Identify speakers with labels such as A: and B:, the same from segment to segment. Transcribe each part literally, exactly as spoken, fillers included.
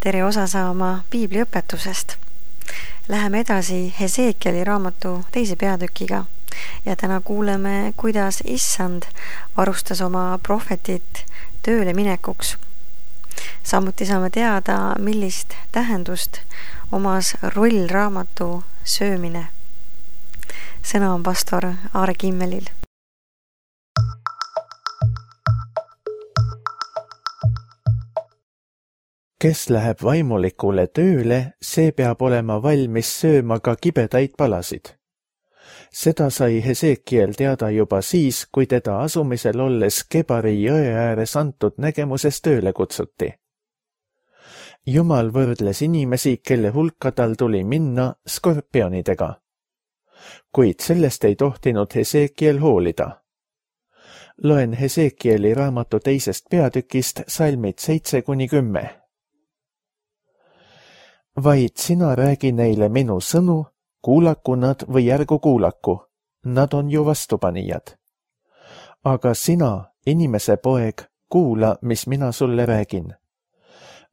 A: tere osa saama piibliõpetusest. Läheme edasi Hesekieli raamatu teise peatükiga ja täna kuuleme, kuidas Issand varustas oma prohvetit tööle minekuks. Samuti saame teada, millist tähendust omas rollraamatu söömine. Sõna on pastor Aare Kimmelil.
B: Kes läheb vaimulikule tööle, see peab olema valmis sööma ka kibedaid palasid. Seda sai Hesekiel teada juba siis, kui teda asumisel olles Kebari jõe ääres antud nägemuses tööle kutsuti. Jumal võrdles inimesi, kelle hulka tal tuli minna skorpionidega. Kuid sellest ei tohtinud Hesekiel hoolida. Loen Hesekieli raamatu teisest peatükist salmid seitse kuni kümme. Vaid sina räägi neile minu sõnu, kuulaku nad või ärgu kuulaku, nad on ju vastupanijad. Aga sina, inimese poeg, kuula, mis mina sulle räägin.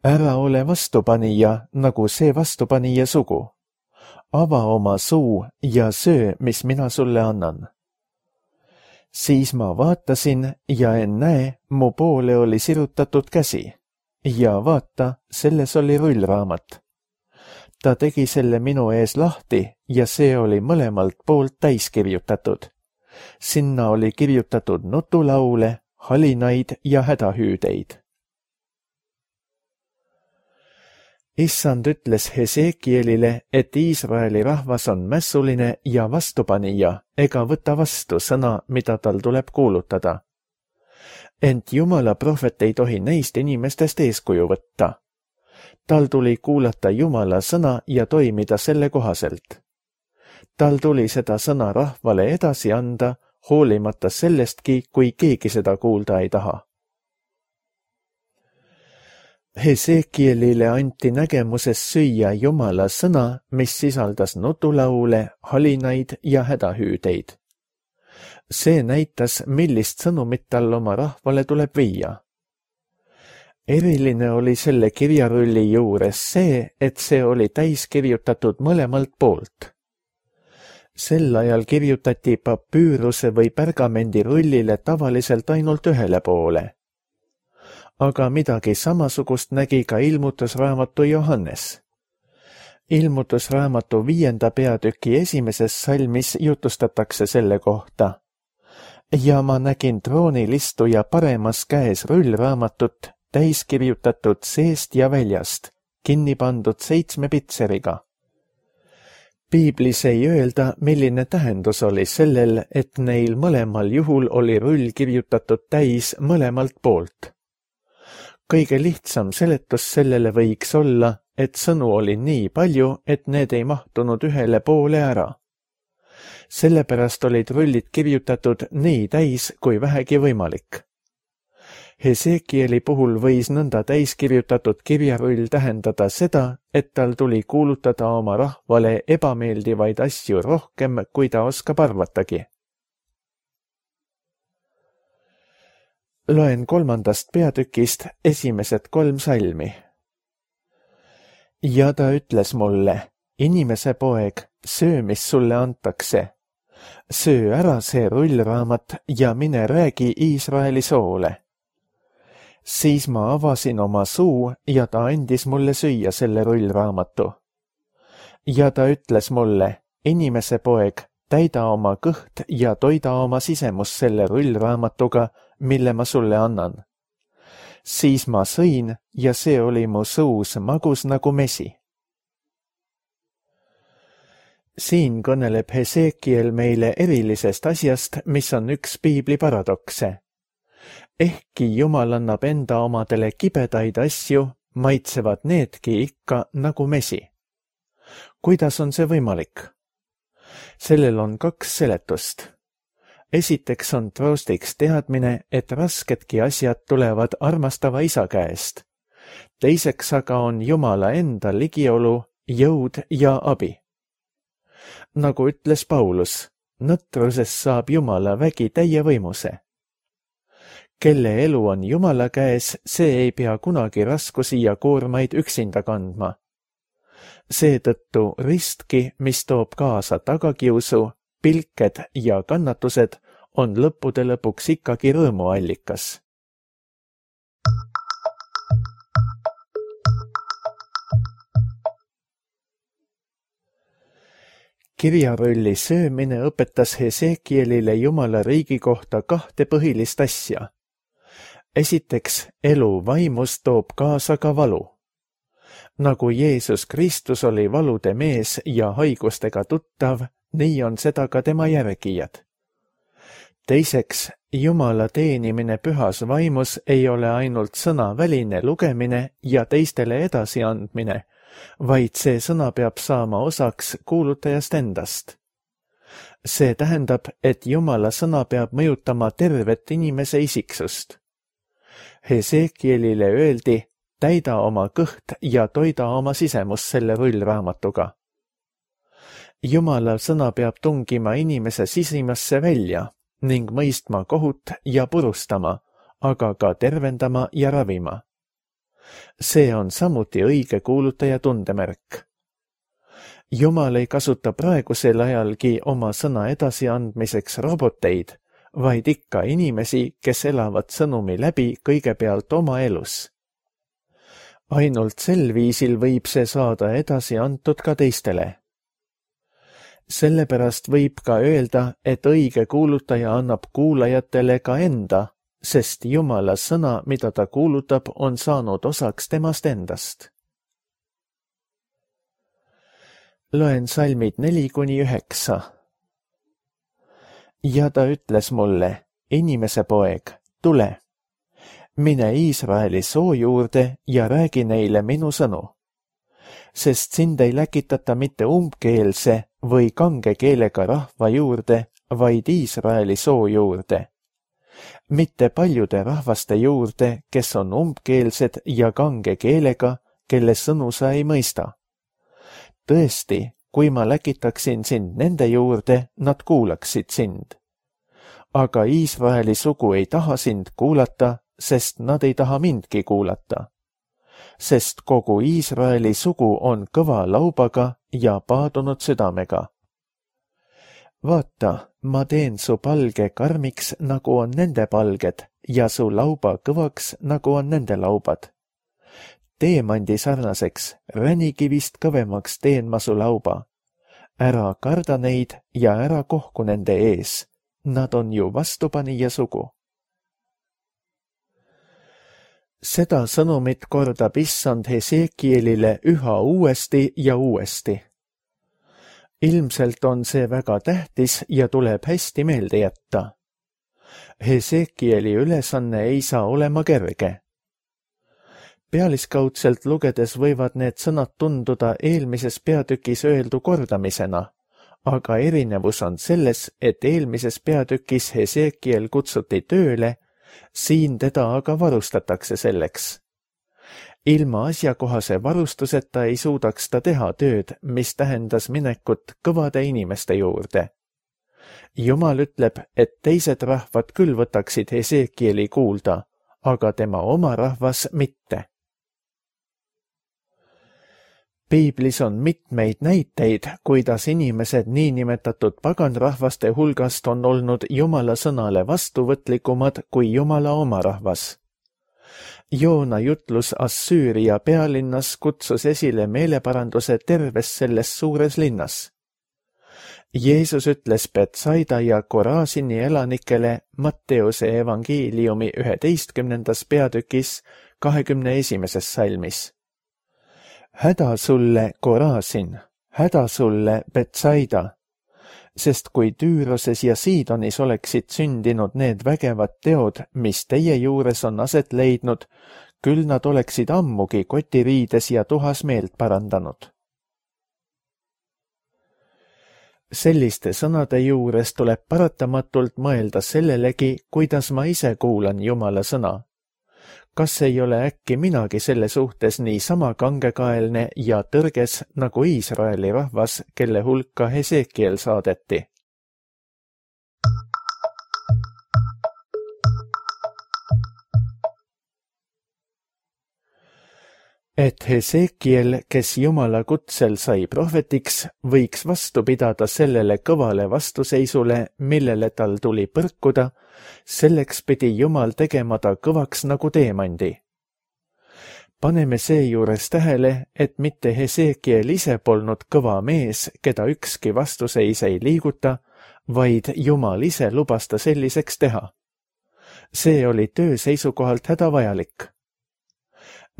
B: Ära ole vastupanija, nagu see vastupanija sugu. Ava oma suu ja söö, mis mina sulle annan. Siis ma vaatasin ja en näe, mu poole oli sirutatud käsi. Ja vaata, selles oli rullraamat. Ta tegi selle minu ees lahti ja see oli mõlemalt poolt täis kirjutatud. Sinna oli kirjutatud nutulaule, halinaid ja hädahüüdeid. Issand ütles Hesekielile, et Iisraeli rahvas on mässuline ja vastupanija ega võta vastu sõna, mida tal tuleb kuulutada. Ent Jumala prohvet ei tohi neist inimestest eeskuju võtta. Tal tuli kuulata Jumala sõna ja toimida selle kohaselt. Tal tuli seda sõna rahvale edasi anda, hoolimata sellestki, kui keegi seda kuulda ei taha. Hesekielile anti nägemuses süüa Jumala sõna, mis sisaldas nutulaule, halinaid ja hädahüüdeid. See näitas, millist sõnumit tal oma rahvale tuleb viia. Eriline oli selle kirjarulli juures see, et see oli täis kirjutatud mõlemalt poolt. Sel ajal kirjutati papüüruse või pergamendi rullile tavaliselt ainult ühele poole. Aga midagi samasugust nägi ka ilmutusraamatu Johannes. Ilmutusraamatu viienda peatüki esimeses salmis jutustatakse selle kohta. Ja ma nägin troonil istuja paremas käes rullraamatut, täis kirjutatud seest ja väljast, kinni pandud seitsme pitseriga. Piiblis ei öelda, milline tähendus oli sellel, et neil mõlemal juhul oli rull kirjutatud täis mõlemalt poolt. Kõige lihtsam seletus sellele võiks olla, et sõnu oli nii palju, et need ei mahtunud ühele poole ära. Sellepärast olid rullid kirjutatud nii täis kui vähegi võimalik. Hesekieli puhul võis nõnda täiskirjutatud kirjarull tähendada seda, et tal tuli kuulutada oma rahvale ebameeldivaid asju rohkem, kui ta oskab arvatagi. Loen kolmandast peatükist esimesed kolm salmi. Ja ta ütles mulle, inimese poeg, söö, mis sulle antakse. Söö ära see rullraamat ja mine räägi Iisraeli soole. Siis ma avasin oma suu ja ta andis mulle süüa selle rullraamatu. Ja ta ütles mulle, inimese poeg, täida oma kõht ja toida oma sisemus selle rullraamatuga, mille ma sulle annan. Siis ma sõin ja see oli mu suus magus nagu mesi. Siin kõneleb Hesekiel meile erilisest asjast, mis on üks piibli paradokse. Ehkki Jumal annab enda omadele kibedaid asju, maitsevad needki ikka nagu mesi. Kuidas on see võimalik? Sellel on kaks seletust. Esiteks on troostiks teadmine, et rasketki asjad tulevad armastava isa käest. Teiseks aga on Jumala enda ligiolu, jõud ja abi. Nagu ütles Paulus, nõtruses saab Jumala vägi täie võimuse. kelle elu on Jumala käes, see ei pea kunagi raskusi ja koormaid üksinda kandma. Seetõttu ristki, mis toob kaasa tagakiusu, pilked ja kannatused, on lõppude lõpuks ikkagi rõõmuallikas. Kirjarulli söömine õpetas Hesekielile Jumala riigi kohta kahte põhilist asja. Esiteks, elu vaimus toob kaasa ka valu. Nagu Jeesus Kristus oli valude mees ja haigustega tuttav, nii on seda ka tema järgijad. Teiseks, Jumala teenimine pühas vaimus ei ole ainult sõnaväline lugemine ja teistele edasiandmine, vaid see sõna peab saama osaks kuulutajast endast. See tähendab, et Jumala sõna peab mõjutama tervet inimese isiksust. Hesekielile öeldi, täida oma kõht ja toida oma sisemus selle rullraamatuga. Jumala sõna peab tungima inimese sisimasse välja ning mõistma kohut ja purustama, aga ka tervendama ja ravima. See on samuti õige kuulutaja tundemärk. Jumal ei kasuta praegusel ajalgi oma sõna edasiandmiseks roboteid, vaid ikka inimesi, kes elavad sõnumi läbi kõigepealt oma elus. Ainult sel viisil võib see saada edasi antud ka teistele. Sellepärast võib ka öelda, et õige kuulutaja annab kuulajatele ka enda, sest Jumala sõna, mida ta kuulutab, on saanud osaks temast endast. Loen salmid neli kuni üheksa. Ja ta ütles mulle, inimese poeg, tule, mine Iisraeli soo juurde ja räägi neile minu sõnu. Sest sind ei läkitata mitte umbkeelse või kange keelega rahva juurde, vaid Iisraeli soo juurde. Mitte paljude rahvaste juurde, kes on umbkeelsed ja kange keelega, kelle sõnu sa ei mõista. Tõesti, kui ma läkitaksin sind nende juurde, nad kuulaksid sind. Aga Iisraeli sugu ei taha sind kuulata, sest nad ei taha mindki kuulata. Sest kogu Iisraeli sugu on kõva laubaga ja paadunud südamega. Vaata, ma teen su palge karmiks, nagu on nende palged, ja su lauba kõvaks, nagu on nende laubad. Teemandi sarnaseks, ränikivist kõvemaks teen ma su lauba. Ära karda neid ja ära kohku nende ees. Nad on ju vastupanija sugu. Seda sõnumit kordab issand Hesekielile üha uuesti ja uuesti. Ilmselt on see väga tähtis ja tuleb hästi meelde jätta. Hesekieli ülesanne ei saa olema kerge. Pealiskaudselt lugedes võivad need sõnad tunduda eelmises peatükis öeldu kordamisena, aga erinevus on selles, et eelmises peatükis Hesekiel kutsuti tööle, siin teda aga varustatakse selleks. Ilma asjakohase varustuseta ei suudaks ta teha tööd, mis tähendas minekut kõvade inimeste juurde. Jumal ütleb, et teised rahvad küll võtaksid Hesekieli kuulda, aga tema oma rahvas mitte. Piiblis on mitmeid näiteid, kuidas inimesed niinimetatud paganrahvaste hulgast on olnud Jumala sõnale vastuvõtlikumad kui Jumala oma rahvas. Joona jutlus Assüüria pealinnas kutsus esile meeleparanduse terves selles suures linnas. Jeesus ütles Betsaida ja Korasini elanikele Matteuse evangeeliumi üheteistkümnendas peatükis kahekümne esimeses salmis. Häda sulle, Korasin, häda sulle, Betsaida, sest kui Tüüroses ja Siidonis oleksid sündinud need vägevad teod, mis teie juures on aset leidnud, küll nad oleksid ammugi kotiriides ja tuhas meelt parandanud. Selliste sõnade juures tuleb paratamatult mõelda sellelegi, kuidas ma ise kuulan Jumala sõna. Kas ei ole äkki minagi selle suhtes nii sama kangekaelne ja tõrges nagu Iisraeli rahvas, kelle hulka Hesekiel saadeti? et Hesekiel, kes Jumala kutsel sai prohvetiks, võiks vastu pidada sellele kõvale vastuseisule, millele tal tuli põrkuda, selleks pidi Jumal tegema ta kõvaks nagu teemandi. Paneme seejuures tähele, et mitte Hesekiel ise polnud kõva mees, keda ükski vastuseis ei liiguta, vaid Jumal ise lubas ta selliseks teha. See oli töö seisukohalt hädavajalik.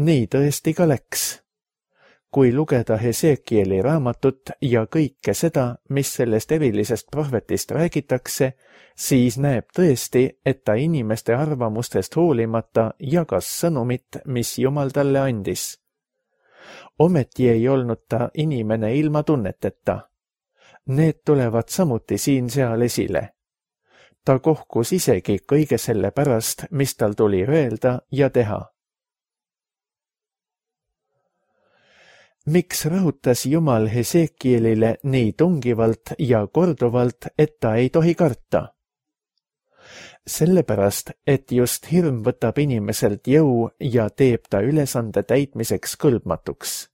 B: Nii tõesti ka läks. Kui lugeda Hesekieli raamatut ja kõike seda, mis sellest erilisest prohvetist räägitakse, siis näeb tõesti, et ta inimeste arvamustest hoolimata jagas sõnumit, mis Jumal talle andis. Ometi ei olnud ta inimene ilma tunneteta. Need tulevad samuti siin-seal esile. Ta kohkus isegi kõige selle pärast, mis tal tuli öelda ja teha. Miks rõhutas Jumal Hesekielile nii tungivalt ja korduvalt, et ta ei tohi karta? Sellepärast, et just hirm võtab inimeselt jõu ja teeb ta ülesande täitmiseks kõlbmatuks.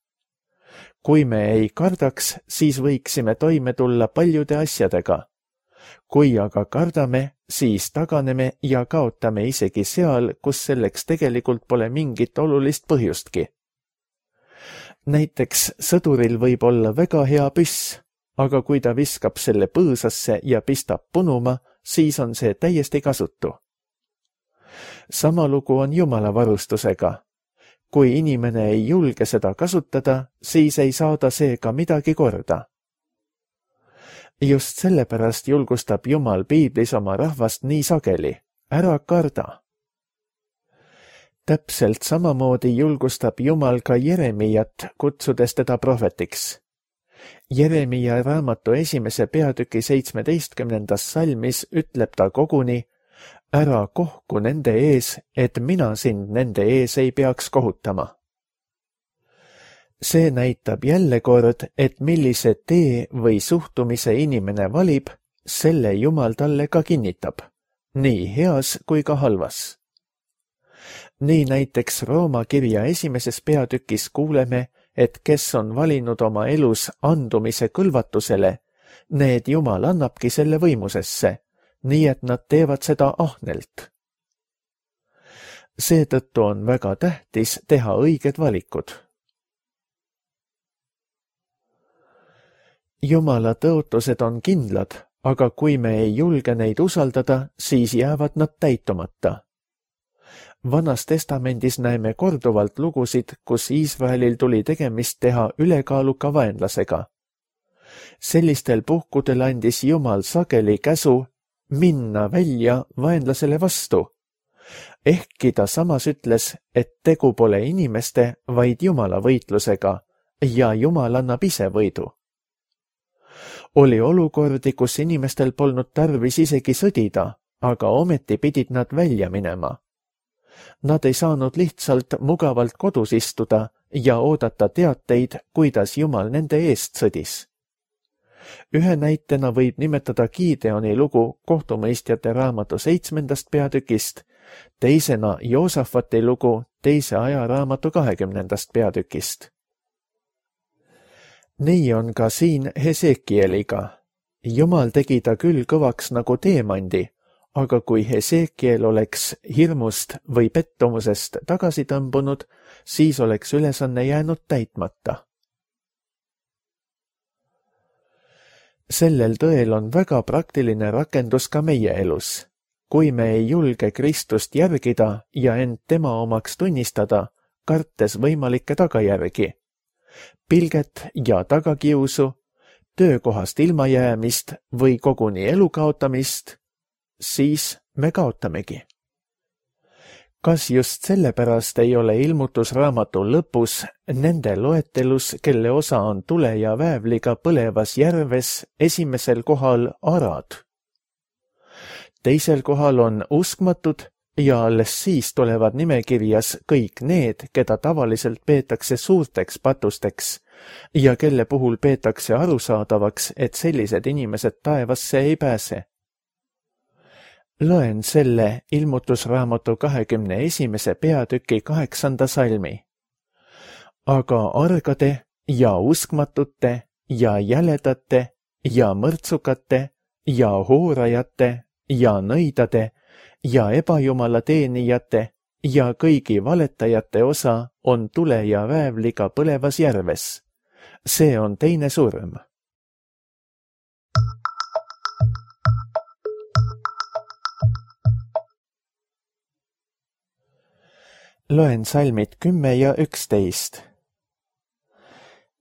B: Kui me ei kardaks, siis võiksime toime tulla paljude asjadega. Kui aga kardame, siis taganeme ja kaotame isegi seal, kus selleks tegelikult pole mingit olulist põhjustki. Näiteks sõduril võib olla väga hea püss, aga kui ta viskab selle põõsasse ja pistab punuma, siis on see täiesti kasutu. Sama lugu on Jumala varustusega. Kui inimene ei julge seda kasutada, siis ei saada seega midagi korda. Just sellepärast julgustab Jumal piiblis oma rahvast nii sageli. Ära karda. Täpselt samamoodi julgustab Jumal ka Jeremiat, kutsudes teda prohvetiks. Jeremia raamatu esimese peatüki seitsmeteistkümnendas salmis ütleb ta koguni, ära kohku nende ees, et mina sind nende ees ei peaks kohutama. See näitab jälle kord, et millise tee või suhtumise inimene valib, selle Jumal talle ka kinnitab, nii heas kui ka halvas. Nii näiteks Rooma kirja esimeses peatükis kuuleme, et kes on valinud oma elus andumise kõlvatusele, need Jumal annabki selle võimusesse, nii et nad teevad seda ahnelt. Seetõttu on väga tähtis teha õiged valikud. Jumala tõotused on kindlad, aga kui me ei julge neid usaldada, siis jäävad nad täitumata. Vanas testamendis näeme korduvalt lugusid, kus Iisraelil tuli tegemist teha ülekaaluka vaenlasega. Sellistel puhkudel andis Jumal sageli käsu minna välja vaenlasele vastu. Ehkki ta samas ütles, et tegu pole inimeste, vaid Jumala võitlusega ja Jumal annab ise võidu. Oli olukordi, kus inimestel polnud tarvis isegi sõdida, aga ometi pidid nad välja minema. Nad ei saanud lihtsalt mugavalt kodus istuda ja oodata teateid, kuidas Jumal nende eest sõdis. Ühe näitena võib nimetada Gideoni lugu kohtumõistjate raamatu seitsmendast peatükist, teisena Joosafati lugu teise ajaraamatu kahekümnendast peatükist. Nii on ka siin Hesekieliga. Jumal tegi ta küll kõvaks nagu teemandi, aga kui Hesekiel oleks hirmust või pettumusest tagasi tõmbunud, siis oleks ülesanne jäänud täitmata. Sellel tõel on väga praktiline rakendus ka meie elus. Kui me ei julge Kristust järgida ja end tema omaks tunnistada, kartes võimalikke tagajärgi, pilget ja tagakiusu, töökohast ilmajäämist või koguni elu kaotamist, siis me kaotamegi. Kas just sellepärast ei ole ilmutusraamatu lõpus nende loetelus, kelle osa on tule ja väävliga põlevas järves, esimesel kohal arad? Teisel kohal on uskmatud ja alles siis tulevad nimekirjas kõik need, keda tavaliselt peetakse suurteks patusteks ja kelle puhul peetakse arusaadavaks, et sellised inimesed taevasse ei pääse. Loen selle ilmutusraamatu kahekümne esimese peatüki kaheksanda salmi. aga argade ja uskmatute ja jäledate ja mõrtsukate ja hoorajate ja nõidade ja ebajumala teenijate ja kõigi valetajate osa on tule ja väävliga põlevas järves. See on teine surm. Loen salmid kümme ja üksteist.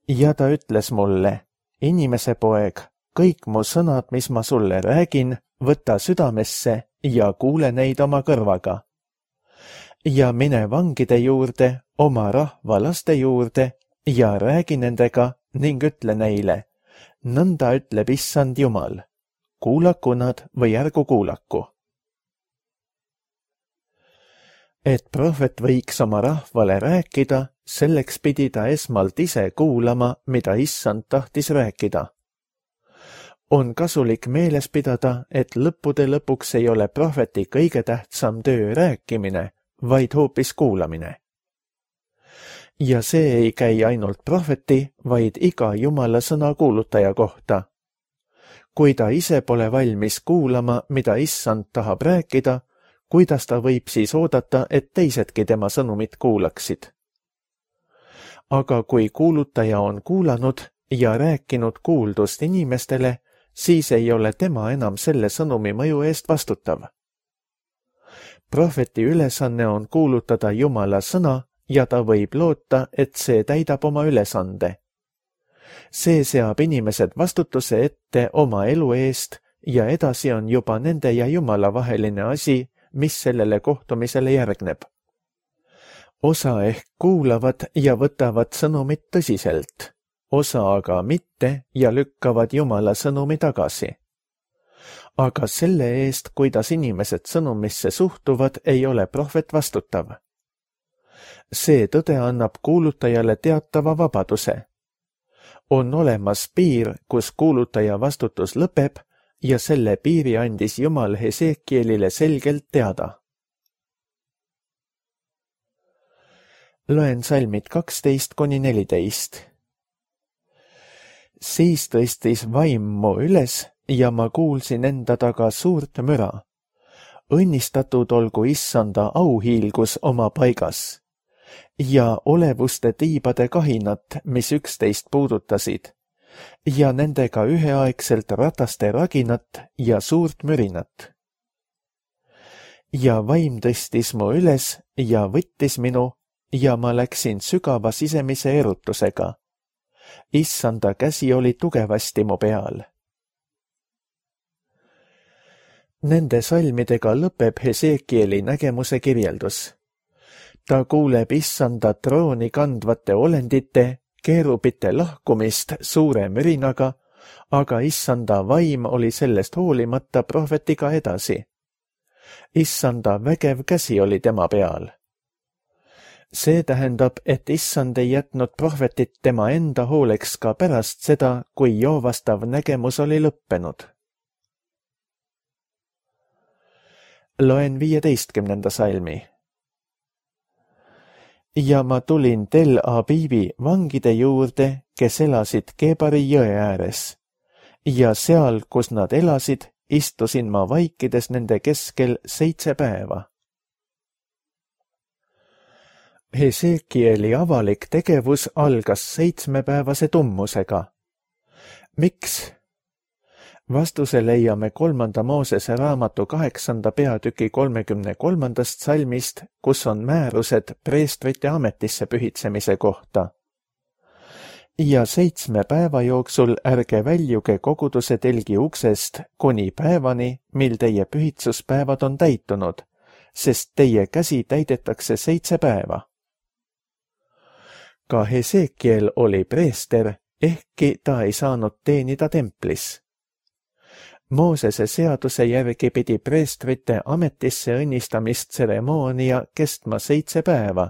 B: Ja ta ütles mulle, inimese poeg, kõik mu sõnad, mis ma sulle räägin, võta südamesse ja kuule neid oma kõrvaga. Ja mine vangide juurde, oma rahva laste juurde ja räägi nendega ning ütle neile, nõnda ütleb Issand Jumal, kuulaku nad või ärgu kuulaku. Et prohvet võiks oma rahvale rääkida, selleks pidi ta esmalt ise kuulama, mida Issand tahtis rääkida. On kasulik meeles pidada, et lõppude lõpuks ei ole prohveti kõige tähtsam töö rääkimine, vaid hoopis kuulamine. Ja see ei käi ainult prohveti, vaid iga Jumala sõna kuulutaja kohta. Kui ta ise pole valmis kuulama, mida Issand tahab rääkida, kuidas ta võib siis oodata, et teisedki tema sõnumit kuulaksid? Aga kui kuulutaja on kuulanud ja rääkinud kuuldust inimestele, siis ei ole tema enam selle sõnumi mõju eest vastutav. Prohveti ülesanne on kuulutada Jumala sõna ja ta võib loota, et see täidab oma ülesande. See seab inimesed vastutuse ette oma elu eest ja edasi on juba nende ja Jumala vaheline asi, mis sellele kohtumisele järgneb. Osa ehk kuulavad ja võtavad sõnumit tõsiselt, osa aga mitte ja lükkavad Jumala sõnumi tagasi. Aga selle eest, kuidas inimesed sõnumisse suhtuvad, ei ole prohvet vastutav. See tõde annab kuulutajale teatava vabaduse. On olemas piir, kus kuulutaja vastutus lõpeb ja selle piiri andis Jumal Hesekielile selgelt teada. Loen salmid kaksteist kuni neliteist. Siis tõstis vaim mu üles ja ma kuulsin enda taga suurt müra. Õnnistatud olgu Issanda auhiilgus oma paigas ja olevuste tiibade kahinat, mis üksteist puudutasid, ja nendega üheaegselt rataste raginat ja suurt mürinat. Ja vaim tõstis mu üles ja võttis minu ja ma läksin sügava sisemise erutusega. Issanda käsi oli tugevasti mu peal. Nende salmidega lõpeb Hesekieli nägemuse kirjeldus. Ta kuuleb Issanda trooni kandvate olendite, keerubite lahkumist suure mürinaga, aga Issanda vaim oli sellest hoolimata prohvetiga edasi. Issanda vägev käsi oli tema peal. See tähendab, et Issand ei jätnud prohvetit tema enda hooleks ka pärast seda, kui joovastav nägemus oli lõppenud. Loen viieteistkümnenda salmi. Ja ma tulin Tel Abibi vangide juurde, kes elasid Kebari jõe ääres. Ja seal, kus nad elasid, istusin ma vaikides nende keskel seitse päeva. Hesekieli avalik tegevus algas seitsmepäevase tummusega. Miks? Vastuse leiame kolmanda Moosese raamatu kaheksanda peatüki kolmekümne kolmandast salmist, kus on määrused preestrite ametisse pühitsemise kohta. Ja seitsme päeva jooksul ärge väljuge koguduse telgi uksest kuni päevani, mil teie pühitsuspäevad on täitunud, sest teie käsi täidetakse seitse päeva. Ka Hesekiel oli preester, ehkki ta ei saanud teenida templis. Moosese seaduse järgi pidi preestrite ametisse õnnistamist tseremoonia kestma seitse päeva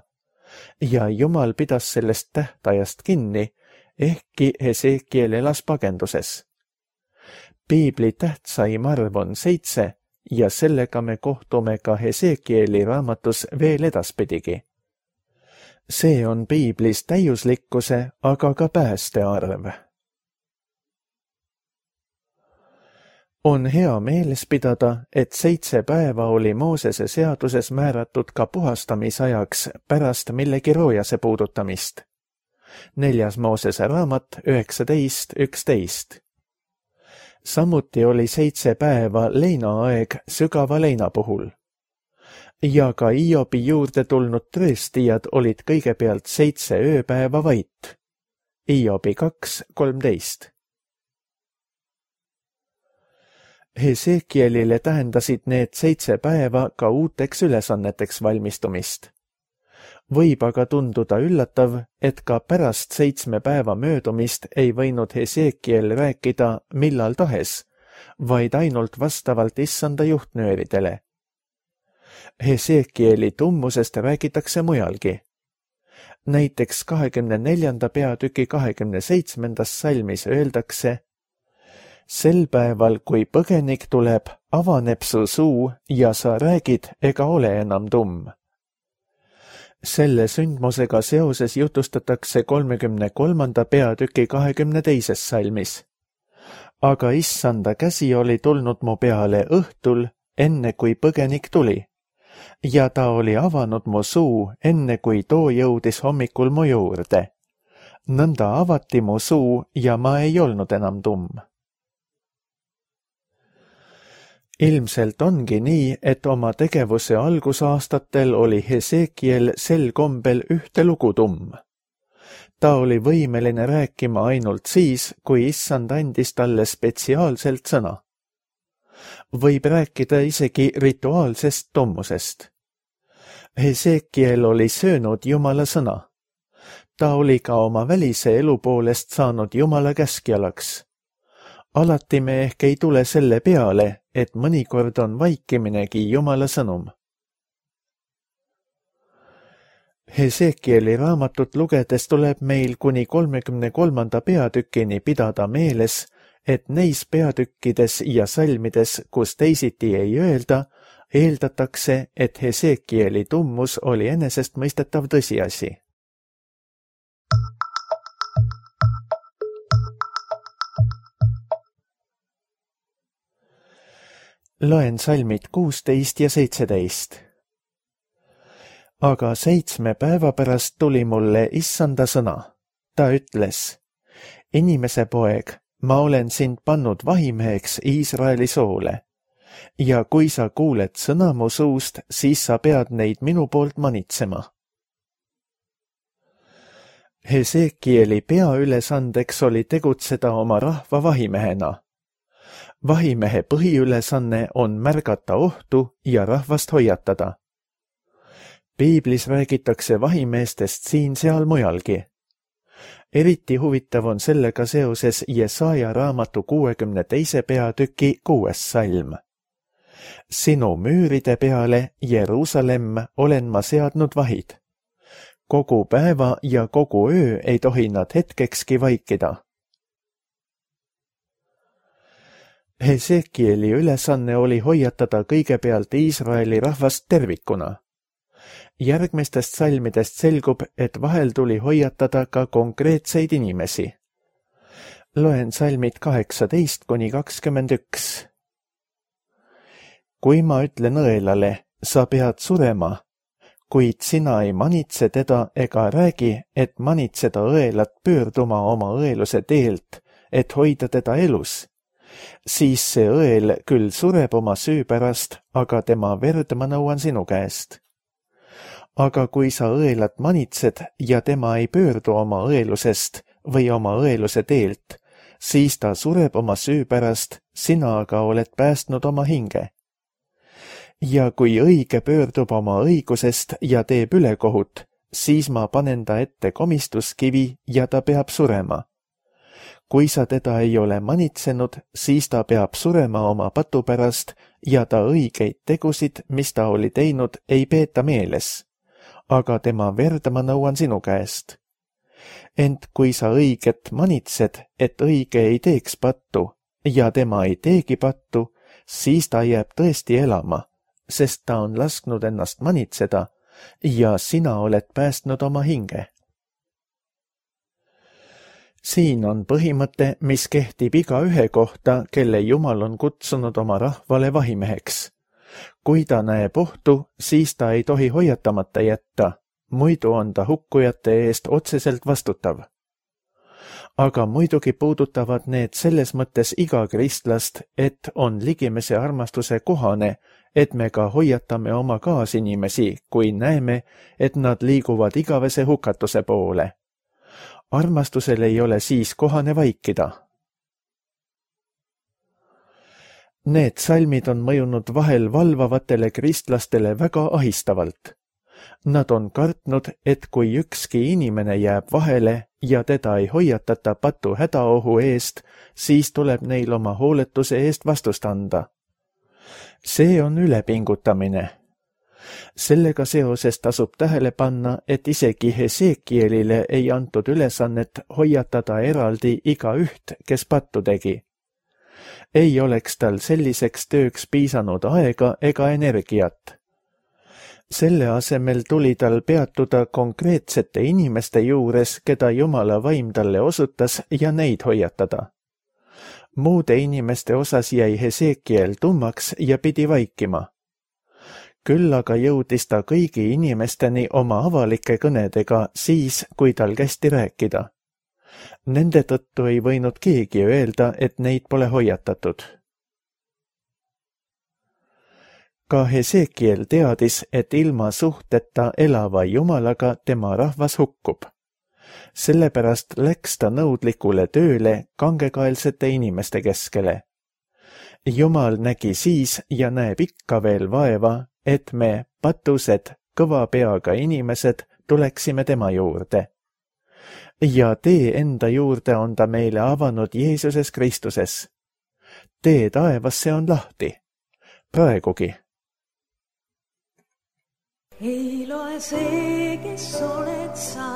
B: ja Jumal pidas sellest tähtajast kinni, ehkki Hesekiel elas pagenduses. Piibli tähtsaim arv on seitse ja sellega me kohtume ka Hesekieli raamatus veel edaspidigi. See on piiblis täiuslikkuse, aga ka pääste arv. On hea meeles pidada, et seitse päeva oli Moosese seaduses määratud ka puhastamisajaks pärast millegi roojase puudutamist. Neljas Moosese raamat üheksateist üksteist. Samuti oli seitse päeva leinaaeg sügava leina puhul. Ja ka Iobi juurde tulnud tõestijad olid kõigepealt seitse ööpäeva vait. Iobi kaks kolmteist. Hesekielile tähendasid need seitse päeva ka uuteks ülesanneteks valmistumist. Võib aga tunduda üllatav, et ka pärast seitsme päeva möödumist ei võinud Hesekiel rääkida millal tahes, vaid ainult vastavalt issanda juhtnööridele. Hesekieli tummusest räägitakse mujalgi. Näiteks kahekümne neljanda peatüki kahekümne seitsmendas salmis öeldakse: Sel päeval, kui põgenik tuleb, avaneb su suu ja sa räägid ega ole enam tumm. Selle sündmusega seoses jutustatakse kolmekümne kolmanda peatüki kahekümne teises salmis. Aga issanda käsi oli tulnud mu peale õhtul, enne kui põgenik tuli, ja ta oli avanud mu suu, enne kui too jõudis hommikul mu juurde. Nõnda avati mu suu ja ma ei olnud enam tumm. Ilmselt ongi nii, et oma tegevuse algusaastatel oli Hesekiel sel kombel ühte lugu tumm. Ta oli võimeline rääkima ainult siis, kui issand andis talle spetsiaalselt sõna. Võib rääkida isegi rituaalsest tummusest. Hesekiel oli söönud Jumala sõna. Ta oli ka oma välise elu poolest saanud Jumala käskjalaks. Alati me ehk ei tule selle peale, et mõnikord on vaikiminegi Jumala sõnum. Hesekieli raamatut lugedes tuleb meil kuni kolmekümne kolmanda peatükini pidada meeles, et neis peatükkides ja salmides, kus teisiti ei öelda, eeldatakse, et Hesekieli tummus oli enesestmõistetav tõsiasi. Loen salmid kuusteist ja seitseteist. Aga seitsme päeva pärast tuli mulle issanda sõna. Ta ütles: Inimese poeg, ma olen sind pannud vahimeheks Iisraeli soole. Ja kui sa kuuled sõna mu suust, siis sa pead neid minu poolt manitsema. Hesekieli peaülesandeks oli tegutseda oma rahva vahimehena. Vahimehe põhiülesanne on märgata ohtu ja rahvast hoiatada. Piiblis räägitakse vahimeestest siin-seal mujalgi. Eriti huvitav on sellega seoses Jesaja raamatu kuuekümne teise peatüki kuues salm. Sinu müüride peale, Jeruusalemm, olen ma seadnud vahid. Kogu päeva ja kogu öö ei tohi nad hetkekski vaikida. Hesekieli ülesanne oli hoiatada kõigepealt Iisraeli rahvast tervikuna. Järgmistest salmidest selgub, et vahel tuli hoiatada ka konkreetseid inimesi. Loen salmid kaheksateist kuni kakskümmend üks. Kui ma ütlen õelale, sa pead surema, kuid sina ei manitse teda ega räägi, et manitseda õelat pöörduma oma õeluse teelt, et hoida teda elus, siis see õel küll sureb oma süü pärast, aga tema verd ma nõuan sinu käest. Aga kui sa õelat manitsed ja tema ei pöördu oma õelusest või oma õeluse teelt, siis ta sureb oma süü pärast, sina aga oled päästnud oma hinge. Ja kui õige pöördub oma õigusest ja teeb ülekohut, siis ma panen ta ette komistuskivi ja ta peab surema. Kui sa teda ei ole manitsenud, siis ta peab surema oma patu pärast ja ta õigeid tegusid, mis ta oli teinud, ei peeta meeles. Aga tema verd ma nõuan sinu käest. Ent kui sa õiget manitsed, et õige ei teeks pattu ja tema ei teegi pattu, siis ta jääb tõesti elama, sest ta on lasknud ennast manitseda, ja sina oled päästnud oma hinge. Siin on põhimõte, mis kehtib iga ühe kohta, kelle Jumal on kutsunud oma rahvale vahimeheks. Kui ta näeb ohtu, siis ta ei tohi hoiatamata jätta, muidu on ta hukkujate eest otseselt vastutav. Aga muidugi puudutavad need selles mõttes iga kristlast, et on ligimese armastuse kohane, et me ka hoiatame oma kaasinimesi, kui näeme, et nad liiguvad igavese hukatuse poole. Armastusel ei ole siis kohane vaikida. Need salmid on mõjunud vahel valvavatele kristlastele väga ahistavalt. Nad on kartnud, et kui ükski inimene jääb vahele ja teda ei hoiatata patu hädaohu eest, siis tuleb neil oma hooletuse eest vastust anda. See on ülepingutamine. Sellega seoses tasub tähele panna, et isegi Hesekielile ei antud ülesannet hoiatada eraldi iga üht, kes pattu tegi. Ei oleks tal selliseks tööks piisanud aega ega energiat. Selle asemel tuli tal peatuda konkreetsete inimeste juures, keda Jumala vaim talle osutas ja neid hoiatada. Muude inimeste osas jäi Hesekiel tummaks ja pidi vaikima. Küll aga jõudis ta kõigi inimesteni oma avalike kõnedega siis, kui tal kästi rääkida. Nende tõttu ei võinud keegi öelda, et neid pole hoiatatud. Ka Hesekiel teadis, et ilma suhteta elava Jumalaga tema rahvas hukkub. Sellepärast läks ta nõudlikule tööle kangekaelsete inimeste keskele. Jumal nägi siis ja näeb ikka veel vaeva, et me, patused, kõva peaga inimesed, tuleksime tema juurde. Ja tee enda juurde on ta meile avanud Jeesuses Kristuses. Tee taevasse on lahti. Praegugi.
C: Ei loe see, kes oled sa,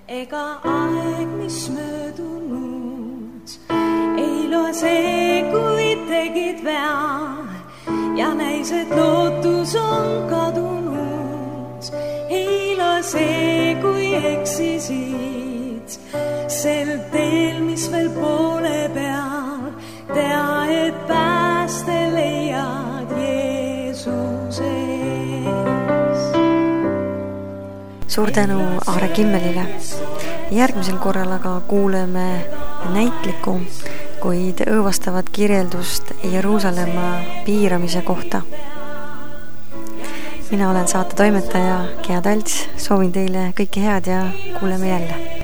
C: ega aeg, mis möödunud. Ei loe see, kui tegid vea ja näis, et lootus on kadunud. Ei loe see, kui eksisid sel teel, mis veel poole peal. Tea, et pääste leiad Jeesuses.
A: Suur tänu Aare Kimmelile. Järgmisel korral aga kuuleme näitliku, kuid õõvastavat kirjeldust Jeruusalemma piiramise kohta. Mina olen saate toimetaja Gea Talts, soovin teile kõike head ja kuuleme jälle.